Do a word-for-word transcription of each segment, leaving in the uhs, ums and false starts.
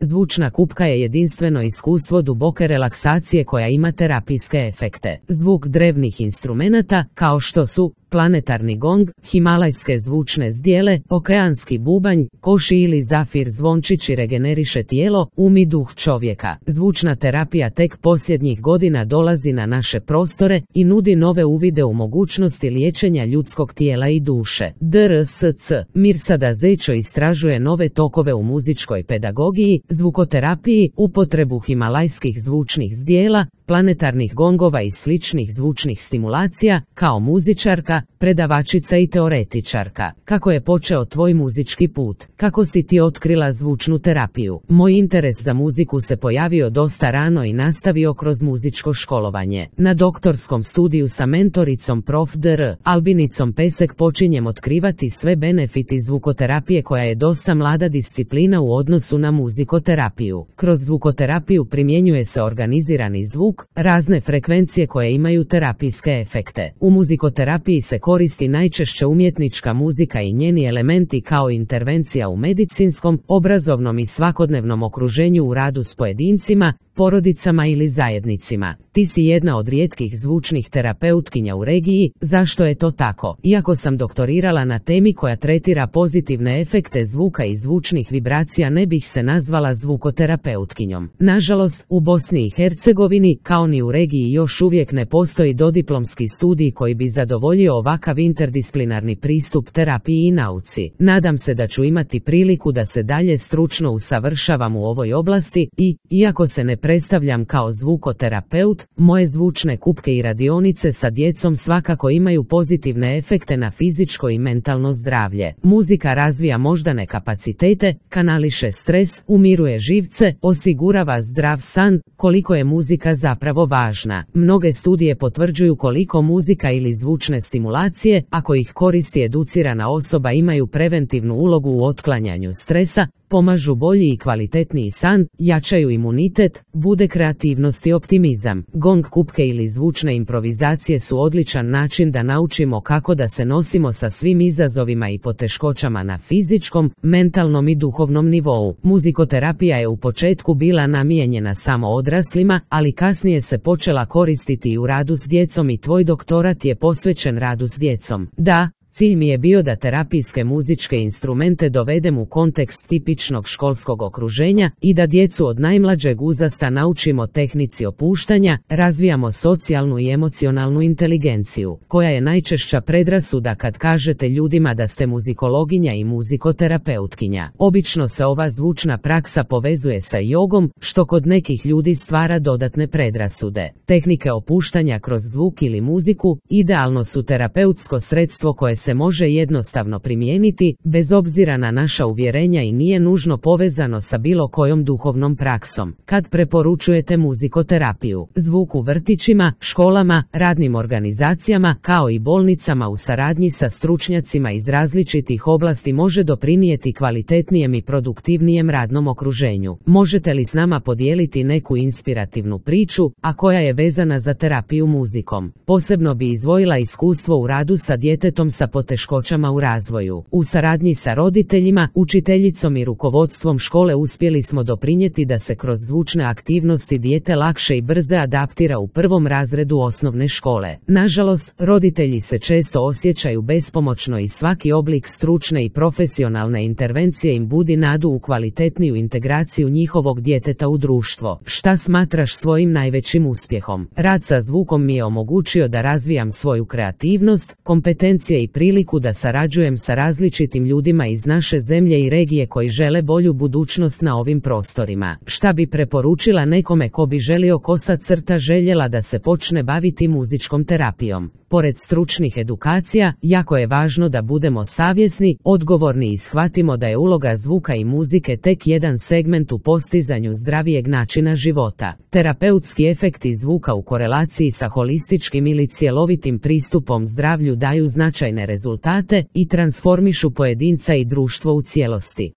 Zvučna kupka je jedinstveno iskustvo duboke relaksacije koja ima terapijske efekte. Zvuk drevnih instrumenata, kao što su planetarni gong, himalajske zvučne zdjele, okeanski bubanj, koši ili zafir zvončići regeneriše tijelo, um i duh čovjeka. Zvučna terapija tek posljednjih godina dolazi na naše prostore i nudi nove uvide u mogućnosti liječenja ljudskog tijela i duše. D R S C Mirsada Zećo istražuje nove tokove u muzičkoj pedagogiji, zvukoterapiji, upotrebu himalajskih zvučnih zdjela, planetarnih gongova i sličnih zvučnih stimulacija, kao muzičarka, predavačica i teoretičarka. Kako je počeo tvoj muzički put? Kako si ti otkrila zvučnu terapiju? Moj interes za muziku se pojavio dosta rano i nastavio kroz muzičko školovanje. Na doktorskom studiju sa mentoricom prof dr Albinicom Pesek počinjem otkrivati sve benefiti zvukoterapije koja je dosta mlada disciplina u odnosu na muzikoterapiju. Kroz zvukoterapiju primjenjuje se organizirani zvuk, razne frekvencije koje imaju terapijske efekte. U muzikoterapiji se koristi najčešće umjetnička muzika i njeni elementi kao intervencija u medicinskom, obrazovnom i svakodnevnom okruženju u radu s pojedincima, porodicama ili zajednicima. Ti si jedna od rijetkih zvučnih terapeutkinja u regiji. Zašto je to tako? Iako sam doktorirala na temi koja tretira pozitivne efekte zvuka i zvučnih vibracija, ne bih se nazvala zvukoterapeutkinjom. Nažalost, u Bosni i Hercegovini, kao ni u regiji, još uvijek ne postoji dodiplomski studij koji bi zadovoljio ovakav interdisciplinarni pristup terapiji i nauci. Nadam se da ću imati priliku da se dalje stručno usavršavam u ovoj oblasti i, iako se ne predstavljam kao zvukoterapeut, moje zvučne kupke i radionice sa djecom svakako imaju pozitivne efekte na fizičko i mentalno zdravlje. Muzika razvija moždane kapacitete, kanališe stres, umiruje živce, osigurava zdrav san. Koliko je muzika zapravo važna? Mnoge studije potvrđuju koliko muzika ili zvučne stimulacije, ako ih koristi educirana osoba, imaju preventivnu ulogu u otklanjanju stresa, pomažu bolji i kvalitetniji san, jačaju imunitet, bude kreativnost i optimizam. Gong kupke ili zvučne improvizacije su odličan način da naučimo kako da se nosimo sa svim izazovima i poteškoćama na fizičkom, mentalnom i duhovnom nivou. Muzikoterapija je u početku bila namijenjena samo odraslima, ali kasnije se počela koristiti i u radu s djecom i tvoj doktorat je posvećen radu s djecom. Da, cilj mi je bio da terapijske muzičke instrumente dovedem u kontekst tipičnog školskog okruženja i da djecu od najmlađeg uzrasta naučimo tehnici opuštanja, razvijamo socijalnu i emocionalnu inteligenciju, koja je najčešća predrasuda kad kažete ljudima da ste muzikologinja i muzikoterapeutkinja. Obično se ova zvučna praksa povezuje sa jogom, što kod nekih ljudi stvara dodatne predrasude. Tehnike opuštanja kroz zvuk ili muziku idealno su terapeutsko sredstvo koje se se može jednostavno primijeniti, bez obzira na naša uvjerenja, i nije nužno povezano sa bilo kojom duhovnom praksom. Kad preporučujete muzikoterapiju, zvuk u vrtićima, školama, radnim organizacijama, kao i bolnicama u saradnji sa stručnjacima iz različitih oblasti može doprinijeti kvalitetnijem i produktivnijem radnom okruženju. Možete li s nama podijeliti neku inspirativnu priču, a koja je vezana za terapiju muzikom? Posebno bi izdvojila iskustvo u radu sa djetetom sa poteškoćama u razvoju. U saradnji sa roditeljima, učiteljicom i rukovodstvom škole uspjeli smo doprinijeti da se kroz zvučne aktivnosti dijete lakše i brže adaptira u prvom razredu osnovne škole. Nažalost, roditelji se često osjećaju bespomoćno i svaki oblik stručne i profesionalne intervencije im budi nadu u kvalitetniju integraciju njihovog djeteta u društvo. Šta smatraš svojim najvećim uspjehom? Rad sa zvukom mi je omogućio da razvijam svoju kreativnost, kompetencije i priliku da sarađujem sa različitim ljudima iz naše zemlje i regije koji žele bolju budućnost na ovim prostorima. Šta bi preporučila nekome ko bi želio kosa crta željela da se počne baviti muzičkom terapijom? Pored stručnih edukacija, jako je važno da budemo savjesni, odgovorni i shvatimo da je uloga zvuka i muzike tek jedan segment u postizanju zdravijeg načina života. Terapeutski efekti zvuka u korelaciji sa holističkim ili cjelovitim pristupom zdravlju daju značajne rezultate i transformišu pojedinca i društvo u cijelosti.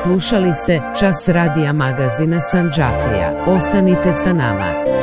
Slušali ste Čas radija magazina Sandžaklija. Ostanite sa nama.